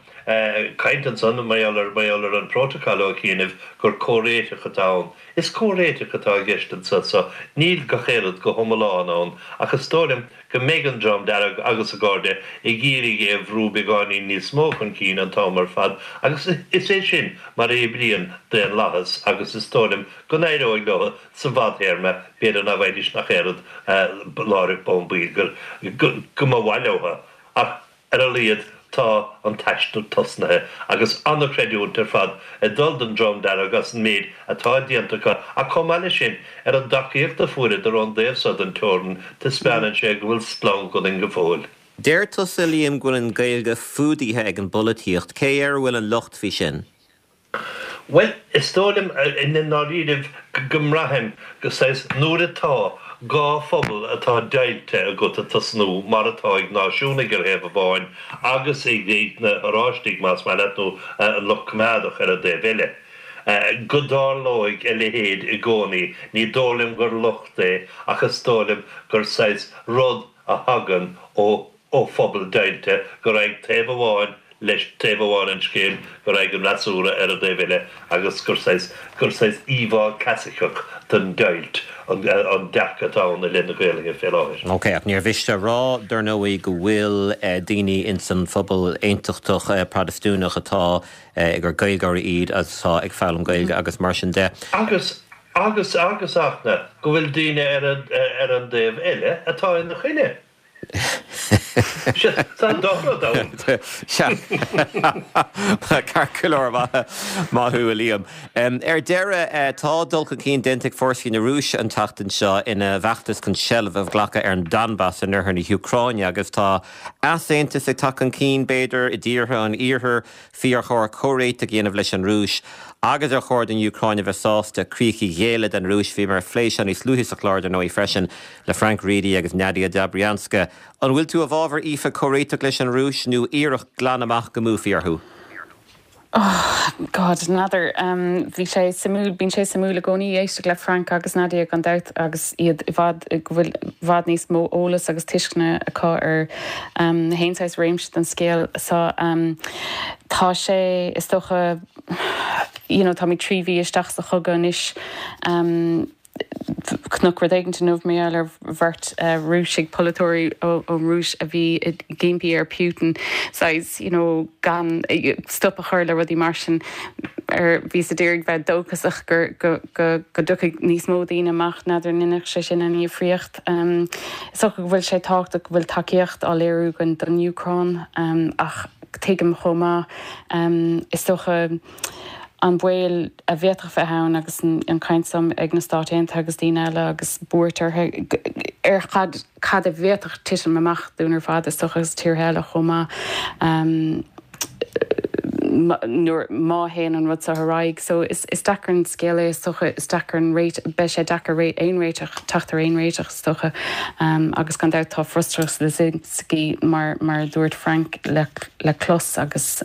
caint ansan mar gheall ar, mar gheall ar an bprótacal ó chianaibh gur comhréiteach atá ann. Is comhréiteach atá i gceist anso so níl gach aon rud go hiomlán ann ach is dóigh liom go mbeidh an Dream Dearg agus a gcairde ag iarraidh é a bhrú beagáinín níos mó chun cinn an t-am ar fad agus is é sin mar a oibríonn daonlathas agus is dóigh liom go n-éireoidh leo sa bhfadthéarma, b'fhéidir ná bhfaighidís nach aon rud láithreach bonn baill go go mba mhaith leo ach Ar a laghad tá an t-aistear tosnaithe agus an-chreidiúint ar fad ag dul don Dream Dearg as an méid atá déanta acu ach chomh maith leis sin ar an dtacaíocht a fuaireadar ón dtaobh so den teorainn, taispeánann sé go bhfuil splanc ionainn go fóill. Deir tusa, Liam, go bhfuil an Ghaeilge fuadaithe ag an bpolaitíocht. Cé air a bhfuil an locht faoi sin? Bhuel, is dóigh liom i ndáiríribh go mbraithim go saghas nuair atá dhá phobal atá deighilte agat ag tosnú, mar atá ag náisiúnaigh ar thaobh amháin agus ag na hOráistigh, más maith leat, nó an lucht coimeádach ar an dtaobh eile, go dtarlóidh a leithéid i gcónaí. Ní dóigh liom gur locht é ach is dóigh liom gur saghas rud a thagann ó ó phobal deighilte, go raghaidh taobh amháin leis taobh amháin an scéil, go raghaidh an fhreasúra ar an dtaobh eile agus gur saghas, gur saghas íomhá clasaiceach den deighilt an an dearcadh atá ann i leith na Gaelainne fé láthair. Ok, ach níor mhiste a rá, dar ndóigh, go bhfuil daoine ins an phobal aontachtach Protastúnach atá, gur Gaeilgeoirí iad agus atá ag foghlaim Gaeilge agus mar sin de. Agus, agus, agus, Fhachtna, go bhfuil daoine ar an, ar an dtaobh eile atá ina choinne. Sea, tá an dá rud ann. Sea. Ceart go leor, maith thú, a Liam. Ar deireadh, tá dul chun cinn déanta ag fórsaí na Rúise an tseachtain seo ina bhfeachtas chun seilbh a ghlacadh ar an Donbas in oirthear na hÚcráine agus tá easaontas ag teacht chun cinn, b'fhéidir, i dtíortha an iarthair faoi ar chóir comhréiteach a dhéanamh leis an Rúis agus ar chóir don Úcráin a bheith sásta críocha a ghéilleadh don Rúis. Bhíomar ag plé seo níos luaithe sa chlár, dar ndóigh, freisin. Le Frank Reidy agus Nadia Dobrianska. An bhfuil tú i bhfabhar, Aoife, comhréiteach leis an Rúis nó iarracht glan amach go mbuafaí orthu? Oh, God, n'fheadar. Bhí sé suimiúil, bíonn sé suimiúil i gcónaí éisteacht le Frank agus Nadia gan dabht agus iad i bhfad, go bhfuil i bhfad níos mó eolas agus tuisceana acu ar haon saghas réimse den scéal so. Tá sé, is dócha, you know, táimid 3 mhí isteach sa chogadh anois. Chonac rud éigin inniu mar gheall ar bheirt Rúisigh, polaiteoirí ón Rúis a bhí ag impí ar Putin saghas you know gan stop a chur le rudaí mar sin. Ar bhí siad ag iarraidh bheith dóchasach gur go go go dtiocfaidh níos mó daoine amach, n'fheadar an ndéanfadh sé sin aon dhifríocht. Is dócha go bhfuil sé tábhachtach go bhfuil tacaíocht á léiriú againn don Úcráin ach tuigim chomh maith is dócha an baol a bhféadfadh bheith ann agus an chaint so ag na Stáit Aontaithe agus daoine eile agus buairt orthu ar cad cad a bhféadfadh titim amach dúinn ar fad is dócha agus tíortha eile chomh maith nuair má théann an rud seo ar aghaidh. So is is deacair an scéal é is dócha is deacair an réit beidh sé deacair ré aon réiteach teacht ar aon réiteach is dócha agus gan dabht tá frustrachas Zelensky mar mar a dúirt Frank le le clos agus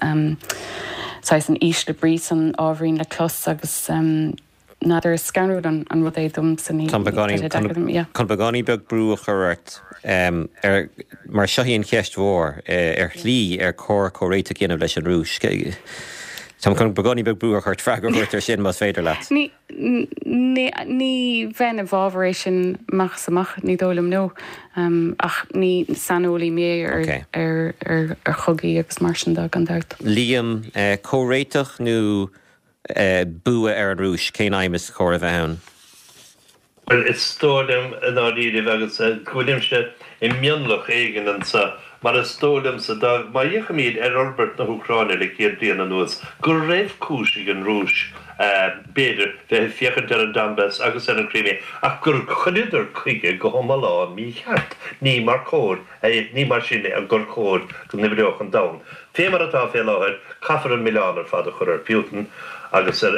saghas an ísle brí san ábhairín le clos agus n'fheadar, is scanrúil an rud é domsa, ní, Tá sé deacair dom, yeah. Chun beagáinín beag brú a chur ort, ar, mar seo í an cheist mhór, ar shlí, ar chóir comhréiteach a dhéanamh leis an Rúis? Táim chun beagáinín beag brú a chur ort freagra a thabhairt air sin, más féidir leat. Ní, Ní ní bheinn i bhfabhar é sin amach is amach, ní dóigh liom, no. Ach ní saineolaí mé ar ar ar ar chogaí agus mar sin de, gan dabht. Liam, Comhréiteach nó bua ar an Rúis, cén aidhm is chóir a bheith ann? Bhuel, is dóigh liom i ndáiríribh, agus go bhfuilimse i mionlach éigin anseo, mar is dóigh liomsa, dá, má fhéachaimid ar fhorbairt na hÚcráine le 100 bliain anuas, go raibh cúis ag an Rúis, b'fhéidir, bheith ag féachaint ar an Donbas agus ar an Crimea, ach gur chuireadar chuige go hiomlán mícheart. Ní mar chóir, ní mar sin gur chóir go n-oibreodh an domhan. Fé mar atá fé láthair, caithfear an milleán ar fad a chur ar Putin agus ar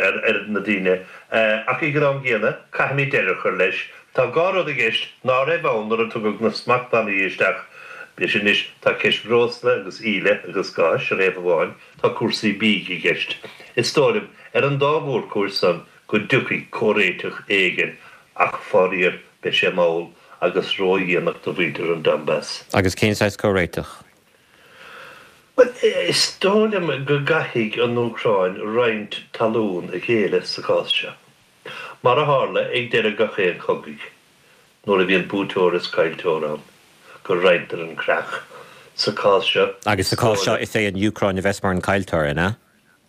na daoine Ach ag an am gcéanna, caithfimid deireadh a chur leis. Tá dhá rud i gceist ná raibh ann nuair a tugadh na smachtbhannaí isteach. Is anois tá ceist breosla agus íle agus gáis ar thaobh amháin, tá cúrsaí bídh i gceist. Is dóigh liom, ar an dá mhórchúis san, go dtiocfaidh comhréiteach éigin, ach faraor, beidh sé mall agus ródhéanach do mhuintir an Donbas. Agus cén saghas comhréiteach? Bhuel, is dóigh liom go gcaithfidh an Úcráin roinnt talún a ghéilleadh sa chás seo. Mar a tharla ag deireadh gach aon chogaidh, nuair a bhíonn buaiteoir is caillteoir ann, go roinntear an creach. Sa chás seo, Agus sa chás seo, is é an Úcráin a bheas mar an caillteoir, an ea?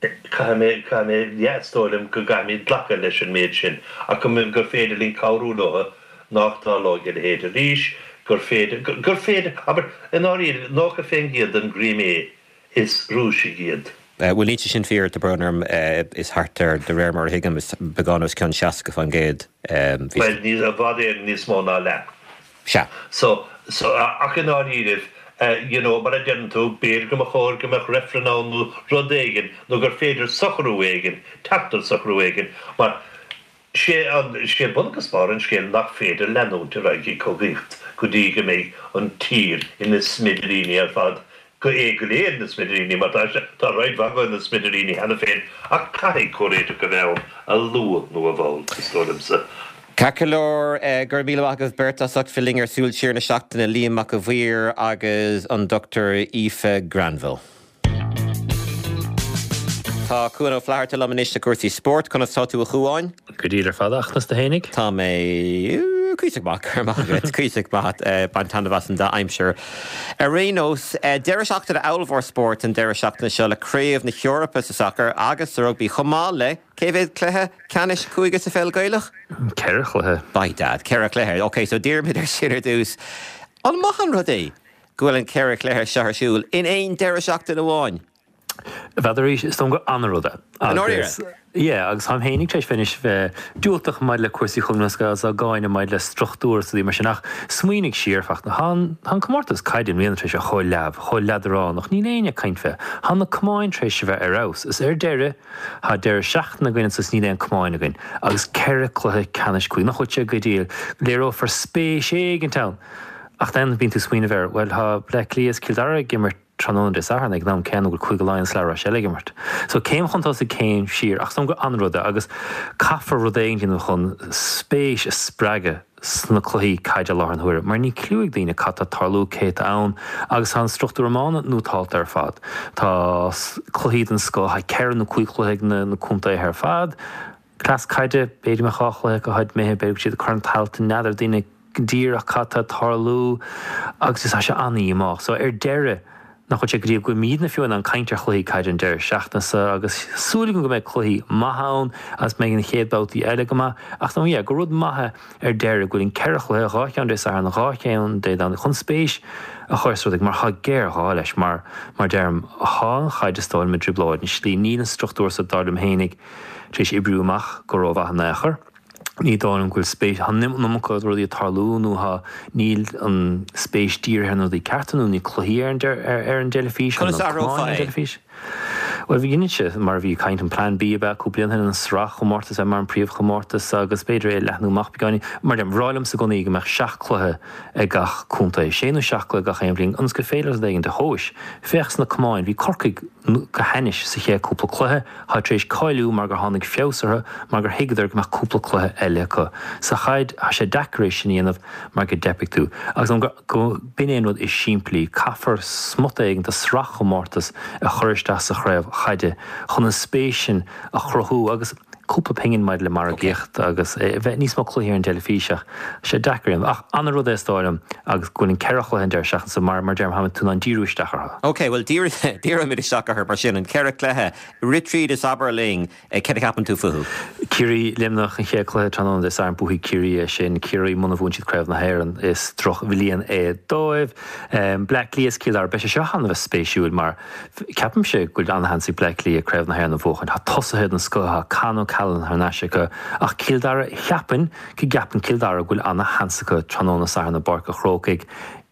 Caithfidh mé, caithfidh mé, yeah, is dóigh liom go gcaithfimid glacadh leis an méid sin, ach go, gur féidir linn cabhrú leo nach dtarlóidh a leithéid arís, gur féidir, gur féidir, abair, i ndáiríre, 90% den gCrimé, is Rúisigh iad. Bhuel, níl sé sin fíor, tá brón orm, is thart ar, de réir mar a thuigim, is beagán os cionn 60%. Bhuel, ní, i bhfad Éireann níos mó ná leath. Sea. So, so, ach i ndáiríribh. You know, mar a deireann tú, b'fhéidir go mba chóir go mbeadh reifreann ann nó rud éigin nó gur féidir socrú éigin, teacht ar socrú éigin mar sé an, sé bun agus barr an scéil nach féidir leanúint ar aghaidh ag cogaíocht go dtí go mbeidh an tír ina smidiríní ar fad go é go léir ina smidiríní, mar tá sé, tá roinnt mhaith acu ina smidiríní cheana féin, ach caithfidh comhréiteach a bheith ann, a luath nó a mhall, is dóigh liomsa. Ceart go leor, go raibh míle maith agaibh beirt as ucht bheith linn ar Súil Siar na Seachtaine, Liam Mac a' Mhaoir agus an Dr Aoife Granville. Tá Cuan Ó Flatharta liom anois le cúrsaí spóirt. Conas tá tú a Chuáin? Go diail ar fad, a Fhachtna, is tú fhéinig? Tá mé cuíosach maith, go raibh maith agat, cuíosach maith, baint taitneamh as an dea-aimsir. Ar aon nós, deireadh seachtaine ollmhór spóirt an deireadh seachtaine seo le Craobh na hEorpa sa sacar agus sa rugbaí chomh maith le cé mhéad cluiche ceannais cúige sa pheil Ghaelach? Ceithre chluiche. By dad, ceithre chluiche. Ok, so díreoimid ar sin ar dtús. An maith an rud é go bhfuil an ceithre chluiche seo ar siúl in aon deireadh seachtaine amháin? N'fheadar arís, is dóigh liom gur an-rud é. I ndáiríre? Yeah, agus táim fhéinig tar éis bheith anois bheith diúltach maidir le cúrsaí Chumann Lúthchleas Gael is á gcáineadh maidir le struchtúr is rudaí mar sin ach smaoinigh siar, Fachtna, tá an, tá an comórtas caide i mbliana tar éis a bheith chomh leamh, chomh leadránach, níl éinne ag caint fé. Tá na camáin tar éis a bheith ar fheabhas is ar deireadh, tá deireadh seachtaine againn anso is níl aon camáin againn agus ceithre cluiche ceannais cúige, nach bhfuil sé go diail, léireofar spéis éigint ann ach then bíonn tú ag smaoineamh air, bhuel tá Bleá Cliath is Cill Dara ag imirt, tráthnóna Dé Sathairn ag an am céanna go bhfuil Cúige Laighean is La Rochelle ag imirt. So céim chun tosaigh, céim siar ach is dóigh liom gur an-rud é agus caithfear rud éigin a dhéanamh chun spéis a spreagadh sna cluichí caide i láthair na huaire mar níl cliú ag daoine cad tá ag tarlú, cé atá ann agus tá an struchtúr iomána nótálta ar fad. Tá cluichí den scoth, tá ceithre nó cúig chluiche ag na contaetha ar fad. Cleas caide, b'fhéidir go mbeadh dhá chluiche acu tháid imithe, b'fhéidir go bhfuil siad ag cur an t-alt, n'fheadar daoine díreach cad tá ag tarlú agus is tá sé an-dhíomách. So ar deireadh, nach bhfuil sé go dtí go bhfuilimidne fiú in ann caint ar chluichí caide an deireadh seachtaine seo agus súil agam go mbeidh cluichí maithe ann agus mbeidh na chéad babhtaí eile go maith ach nó yeah, gur rud maith é ar deireadh go bhfuil an ceithre chluiche, dhá cheann Dé Sathairn, dhá cheann Dé Domhnaigh chun spéis a chur sa rud mar tá géarghá leis mar mar deirim, tá an chaid is dóigh liom i dtrioblóid i slí, níl an struchtúr so dar liom fhéinig tar éis oibriú amach go rómhaith in aon chor. Ní dóigh liom go bhfuil spéis, tá an iomarca rudaí ag tarlú nó tá, níl an spéis dírithe ar na rudaí cearta nó níl cluichí ar an ar an dteilifís, Conas a athrófá ar an é? Bhuel, bhí inse, mar a bhí ag caint, an Plan B ab ea cúpla bliain ó shin, an sraithchomórtas a bheith mar an príomhchomórtas agus b'fhéidir é a leathnú amach beagáinín. Mar a deirim, ba bhreá liomsa i gcónaí go mbeadh seacht cluiche ag gach contae, sé nó seacht gcluiche gach aon bhliain, ionas gur féidir rud éigin a thomhas. Féach sna camáin, bhí Corcaigh go hainnis sa chéad cúpla cluiche, Tá tar éis cáiliú mar gur tháinig feabhas orthu mar gur thuigeadar go mbeadh cúpla cluiche eile acu. Sa chaid, tá sé deacair é sin a dhéanamh mar go dteipfidh tú. Agus an go b'in é an rud is simplí, caithfear smut éigin de sraithchomórtas a chur isteach sa chraobh chaide chun an spéis sin a chruthú agus cúpla pingin maidir le margaíocht agus bheith níos mó cluichí ar an dteilifís ach tá sé deacair a dhéanamh. Ach an-rud é is dóigh liom agus go bhfuil an ceithre chluiche an deireadh seachtaine so mar mar deirim tá tú in ann díriú isteach orthu. Ok, bhuel díreoimid isteach orthu mar sin, an ceithre chluiche. Rith tríd is abair linn céard a cheapann tú fúthu. Ciarraí, Luimneach, an chéad chluiche tráthnóna Dé Sathairn, buafaidh Ciarraí é sin. Ciarraí, muna bhuann siad Craobh na hÉireann, is drochbhliain é dóibh. Bleá Cliath is Cill Dara, beidh sé seo an-bheith spéisiúil mar ceapaimse go bhfuil an-sheans ag Bleá Cliath Craobh na hÉireann a bhuachan. Tá tosaithe den scoth, tá Con O'Callaghan thar n-ais acu ach Cill Dara, cheapfainn go gceapann Cill Dara go bhfuil an-sheans acu tráthnóna Sathairn i bPáirc a' Chrócaigh.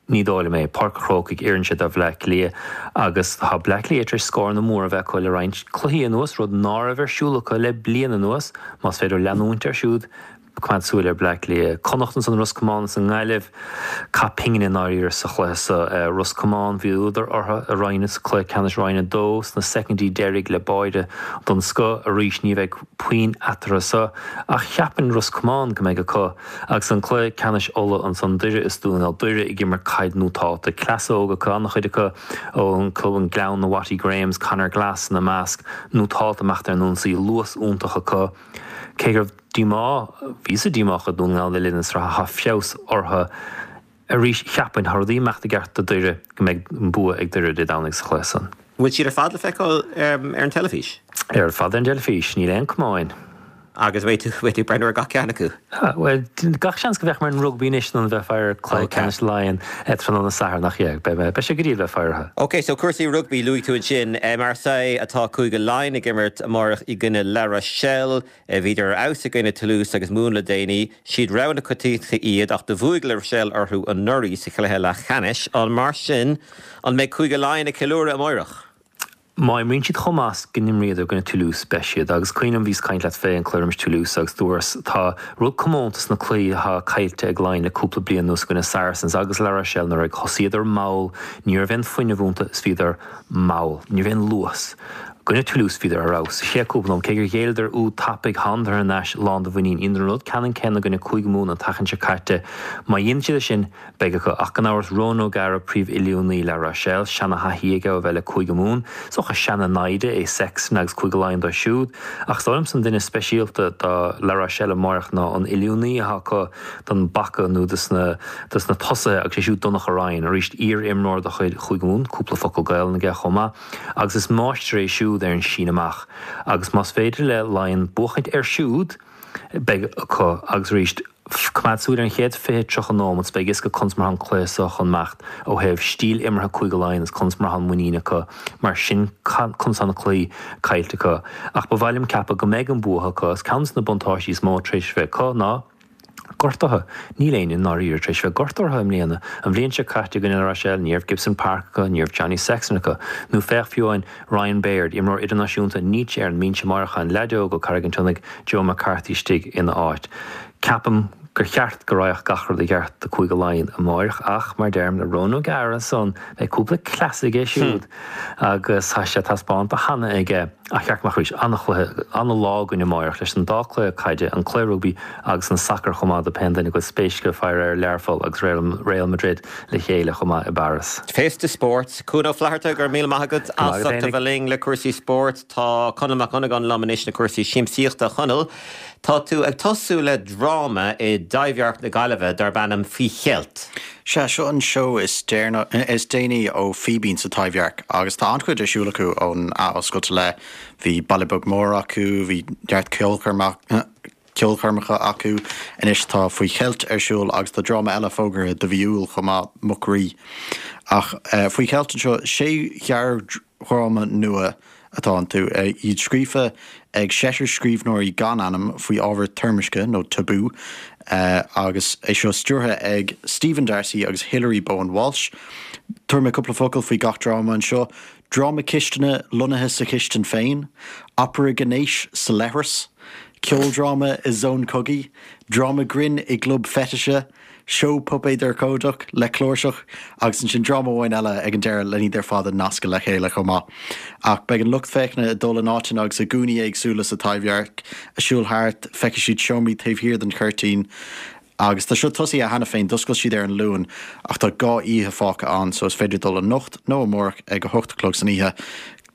Ní dóigh liom é. Páirc a' Chrócaigh, oireann sé do Bhleá Cliath agus tá Bleá Cliath tar éis scóranna móra a bheith acu le roinnt cluichí anuas, rud ná raibh ar siúl acu le bliain anuas. Más féidir leo leanúint air siúd, coimeád súil ar Bleá Cliath. Connacht ansan, Ros Comáin is an nGaillimh. Caith pingin i ndáiríre sa chluiche so. Ros Comáin, bhí údar orthu i Roinn, sa cluiche ceannais Roinn 2 sna soicindí deiridh le báire den scoth. Arís ní bheidh puinn eatarthu so ach cheapfainn Ros Comáin go mbeidh acu. Agus an cluiche ceannais Uladh ansan, Doire is Dún na nGall, Doire ag imirt caid nótálta, cleas óg acu, an-chuid acu ón club an Gleann, na Watty Grahams, Conor Glass ina measc, nótálta amach ar an ionsaí, luas iontach acu. Cé go raibh díomá, bhíosa díomách i Dún na nGall le linn na sraithe, tá feabhas orthu arís. Cheapfainn, tá rudaí ag imeacht i gceart do Doire, go mbeidh an bua ag Doire Dé Domhnaigh sa chluiche san. Bhfuil siad ar fad le feiceáil ar an teilifís? Ar fad ar an dteilifís, níl aon camáin. Agus beidh tú, beidh tú ag breathnú ar gach ceann acu? Bhuel, gach seans go bhféachfaidh mé ar an rugbaí anois in ionad bheith ag faire ar cluiche ceannais Laighean tráthnóna Sathairn ach yeah, beidh mé, beidh sé go diail bheith ag faire orthu. Ok, so cúrsaí rugbaí, luaigh tú ansin Marseille atá Cúige Laighean ag imirt amárach i gcoinne La Rochelle. Bhíodar ar fheabhas i gcoinne Toulouse agus Mumhan le déanaí. Siad rogha na coitiantachta iad ach do bhuaigh La Rochelle orthu anuraidh sa chluiche leathcheannais. An mar sin, an mbeidh Cúige Laighean ag ceiliúradh amáireach? Má imríonn siad chomh maith is go n-imríodar i gcoinne Toulouse, beidh siad. Agus cuimhin liom, bhíos ag caint leat fé an cluiche roimis Toulouse agus dúras, tá rud comónta sna cluichí atá caillte ag Laighin le cúpla bliain anuas i gcoinne Saracens agus La Rochelle nuair a thosaíodar mall, ní raibh aon fuinneamh iontu is bhíodar mall. Ní raibh aon luas. I gcoinne Toulouse bhíodar ar fheabhas. Sa chéad cúpla nóiméad, cé gur ghéilleadar úd tapaidh, thánadar thar n-ais lán de mhuinín. Dheineadar an rud ceannann céanna i gcoinne Cúige Mumhan an tseachtain seo caite. Má dhéanann siad é sin, Beidh acu, ach gan amhras, Ronan O'Gara, príomh-oiliúnaí La Rochelle, seana-thaithí aige ó bheith le Cúige Mumhan. Is dócha seana-naimhde é Sexton agus Cúige Laighean dóibh siúd. Ach is dóigh liomsa an duine is speisialta do La Rochelle amáireach ná an oiliúnaí atá acu don bpaca nó dos na dos na tosaithe agus sé siúd Donnacha Ryan, arís iar-imreoir de chuid Chúige Mumhan, cúpla focal Gaelainn aige chomh maith, agus is máistir é siúd ar an síneadh amach. Agus más féidir le Laighean buachaint air siúd, beidh acu agus arís, coimeád súil ar an chéad 20, 30 nóimeat is beidh a fhios agat conas mar atá an cluiche so chun imeacht ó thaobh stíl imeartha Cúige Laighean is conas mar atá an muinín acu mar sin conas atá na cluichí caillte acu. Ach ba mhaith liom ceapadh go mbeidh an bua acu is ceann de na buntáistí is mó tar éis bheith acu ná gortuithe. Níl éinne i ndáiríre tar éis bheith gortaithe i mbliana. An bhliain seo caite i gcoinne La Rochelle ní raibh Gibson Park acu, ní raibh Johnny Sexton acu. Nó féach fiú amháin Ryan Baird, imreoir idirnáisiúnta, níl sé ar an mbinse amáireach, an leaid óg ó Carraig an tSionnaigh, Joe McCarthy istigh ina áit. Ceapaim gur cheart go raghadh gach rud i gceart do Cúige Laighean amáireach ach, mar deirim, le Ronan O'Gara ansan, beidh cúpla cleas aige siúd agus tá sé taispeánta cheana aige. Ach cheart go mbeadh arís an-chluiche, an-lá againn amáireach leis an dá cluiche caide, an cluiche rugbaí agus an sacar chomh maith do pén duine go bhfuil spéis acu faire ar Learpholl agus Real Madrid le chéile chomh maith i bParas. Féasta spóirt. Cuan Ó Flatharta, go raibh míle maith agat as ucht a bheith linn le cúrsaí spóirt. Tá Conall Mac Dhonnagáin liom anois le cúrsaí siamsaíochta. A Chonaill, tá tú ag tosú le dráma i dTaibhdhearc na Gaillimhe darb ainm Faoi Cheilt. Sea, seo an seó is déanaí ó Fíbín sa Taibhdhearc agus tá an-chuid ar siúl acu ón athoscailt i leith. Bhí Baile Beag Mór acu, bhí neart ceolchoirmeacha acu, anois tá Faoi Cheilt ar siúl agus tá dráma eile fógartha do mhí Iúil chomh maith, Muc Rí. Ach Faoi Cheilt anseo, sé ghearrdhráma nua atá iontu, iad scríofa ag seisear scríbhneoirí gan ainm faoi ábhar toirmiscthe nó tabú, agus é seo stiúrtha ag Stephen D'Arcy agus Hilary Bowen Walsh. Tabharfaidh mé cúpla focal faoi gach dráma anseo. Dráma cistine lonnaithe sa chistin féin, opera gnéis sa leithreas, ceoldráma i zón cogaidh, dráma grinn i gclub feitise, seó puipéad urchóideach le cláirseach agus ansin dráma amháin eile ag an deireadh len iad ar fad a nascadh le chéile chomh maith. Ach beidh an lucht féachana ag dul in áiteanna agus i gcúinní éagsúla sa Taibhdhearc, ag siúl thart, feicfidh siad seomraí taobh thiar den chuirtín agus tá seo tosaithe cheana féin, d'oscail siad ar an Luan ach tá 2 oíche fágtha ann so is féidir dul anocht nó amárach ag 8 a chlog san oíche.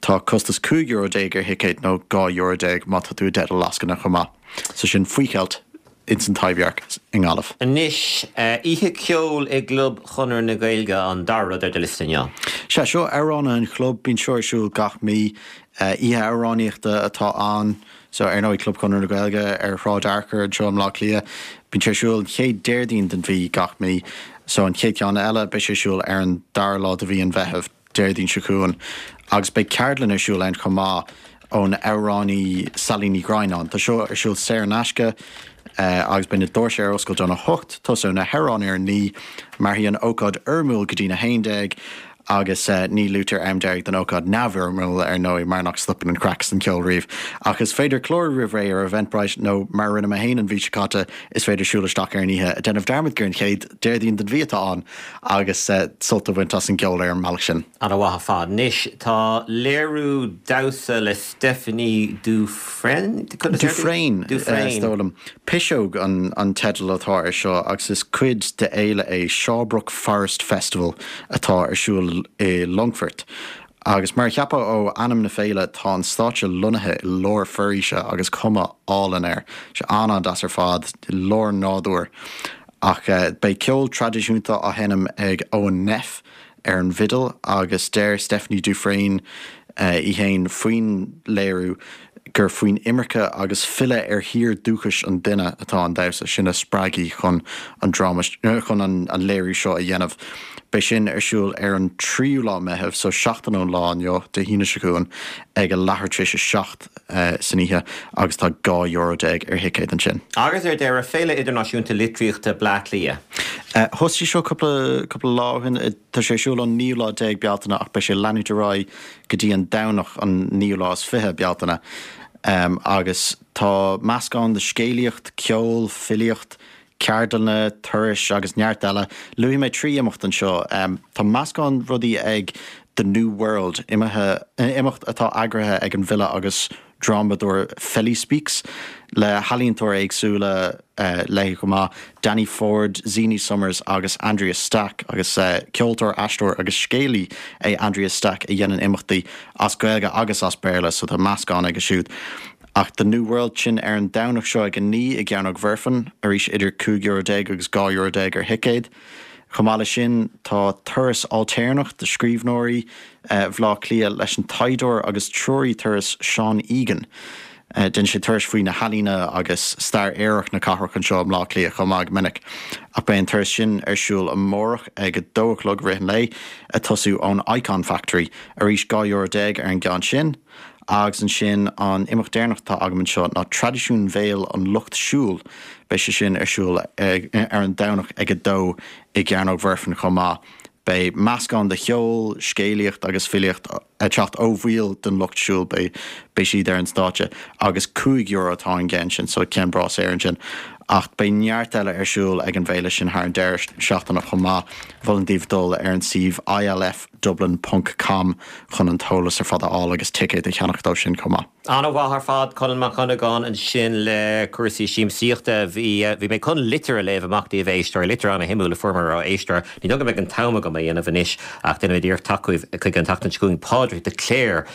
Tá costas €15 ar thicéad nó €12 má tá tú i dteideal lascaine chomh maith. So sin Faoi Cheilt. ins an Taibhdhearc i nGaillimh. Anois, oíche ceoil i gClub Chonradh na Gaeilge an dara rud ar do liosta inniu. Sea, seo Amhránaithe an Chlub, bíonn seo ar siúl gach mí. Oíche amhránaíochta atá ann. So, ar ndóigh, Club Chonradh na Gaeilge ar Shráid Fhearchair anseo i mBleá Cliath. Bíonn sé ar siúl an chéad Déardaoin den mhí gach mí. So, an chéad cheann eile, beidh sé ar siúl ar an dara lá de mhí an Mheithimh. Déardaoin seo chugainn, agus beidh ceardlann ar siúl ann chomh maith ón amhránaí Sailí Ní Dhroighneáin. Tá seo ar siúl saor in aisce agus beidh na doirse ar oscailt óna hocht, tosóidh na hamhráin ar a naoi, mairfidh an ócáid fhoirmiúil go dtína 11 agus ní luaitear am deiridh don ócáid neamhfhoirmiúil ar ndóigh mar nach stopann an craic is an ceol riamh. Ach is féidir clárú roimh ré ar Eventbrite nó mar a rinne mé féin an mhí seo caite is féidir siúl isteach ar an oíche, ag déanamh dearmad gur an chéad Déardaoin den mhí atá ann! agus sult a bhaint as an gceol ar an mbealach sin. Ana-mhaith ar fad. Anois tá léiriú damhsa le Stephanie Dufresne? Dufresne, is dóigh liom. Piseog an teideal atá air seo agus is cuid de fhéile é Shawbrook Forest Festival atá ar siúl i Longfort. Agus mar a cheapfá ó ainm na féile, tá an stáitse lonnaithe i lár foraoise agus cuma álainn air. Sé an-an-deas ar fad, i lár an nádúir. Ach beidh ceol traidisiúnta á sheinm ag Eoin Neff ar an bhfidil agus deir Stephanie Dufresne í fhéin faoin léiriú. gur faoin imirce agus filleadh ar thír dúchais an duine atá an damhsa, sin a spreag í chun an dráma, chun an léiriú seo a dhéanamh. Beidh sin ar siúl ar an tríú lá Meitheamh, so seachtain ón lá inniu, Dé hAoine seo chugainn, ag a leathuair tar éis a 7 san oíche agus tá €12 ar thicéad ansin. Agus ar deireadh, Féile Idirnáisiúnta Litríochta Bleá Cliath. Thosaigh seo cúpla, cúpla lá ó shin. Tá sé ar siúl ón naoú lá déag Bealtaine ach beidh sé ag leanúint ar aghaidh go dtí an Domhnach an naoú lá is 20 Bealtaine agus tá meascán de scéalaíocht, ceol, filíocht, ceardlanna, turais agus neart eile. Luafaidh mé 3 imeacht anseo. Tá meascán rudaí ag The New World, imeacht atá eagraithe ag an bhfile agus drámadóir Feli Speaks, le healaíontóirí éagsúla léi chomh maith, Danny Ford, Zini Somers agus Andrea Stack, agus ceoltóir, aisteoir agus scéalaí é Andrea Stack a dhéanann imeachtaí as Gaeilge agus as Béarla, so tá meascán aige siúd. Ach The New World sin ar an Domhnach seo ag 9 i gCearnóg Mhuirfean, arís idir €15 agus €12 ar thicéad. Chomh maith leis sin, tá turas ailtéarnach do scríbhneoirí Bhaile Átha Cliath leis an taighdeoir agus treoraí turas Seán Egan. Déanann sé turais faoi na healaíona agus stair aorach na cathrach anseo i mBleá Cliath chomh maith go minic. Ach beidh an turas sin ar siúl amárach ag 2 a chlog i rith an lae, ag tosú ón Icon Factory. Arís, €12 ar an gceann sin. Agus ansin an imeacht deireanach atá agam anseo ná Traidisiún Bhéil an Lucht Siúil. Beidh sé sin ar siúl ar an Domhnach ag 2 i gCearnóg Mhuirfean chomh maith. Beidh meascán de cheol, scéalaíocht agus filíocht ag teacht ó bhaill den Lucht Siúil, beidh beidh siad ar an stáitse agus €5 atá an gceann sin, so ceann breá saor ansin. Ach beidh neart eile ar siúl ag an bhféile sin thar an deireadh seachtaine chomh maith. Mholfainn daoibh dul ar an suíomh ILF. Dublin ponc com chun an t-eolas ar fad a fháil agus ticéad a cheannach dó sin chomh maith. An-mhaith ar fad, Conall Mac Dhonnagáin ansin le cúrsaí siamsaíochta. Bhí, bhí mé chun litir a léamh amach daoibh, a éisteoirí, litir an-shuimiúil a fuaireamar ó éisteoir. Ní dóigh go mbeidh an t-am agam é a dhéanamh anois ach déanfaimid iarracht teacht chuige an tseachtain seo chugainn. Pádraig de Cléir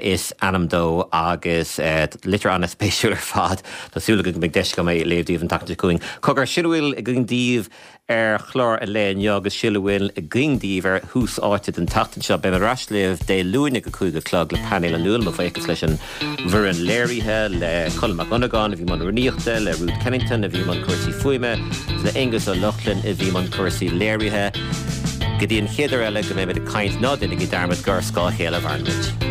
is ainm dó agus litir an-spéisiúil ar fad. Tá súil agam go mbeidh deis agam é a léamh daoibh an tseachtain seo chugainn. Cogar, sin a bhfuil againn daoibh. ar chlár an lae inniu agus sin a bhfuil againn daoibh ar Thús Áite don tseachtain seo. Beidh mé ar ais libh Dé Luain ag a 5 a chlog le painéal an Luain. Mo bhuíochas leis an bhfoireann léirithe, le Colm Mac Dhonnagáin a bhí i mbun rúnaíochta, le Ruth Kennington a bhí i mbun cúrsaí fuaime, agus le Aonghus Ó Lochlainn a bhí i mbun cúrsaí léirithe. Go dtí an chéad uair eile go mbeimid ag caint, ná déanaigí dearmad gur ar scáth a chéile a mhaireann muid.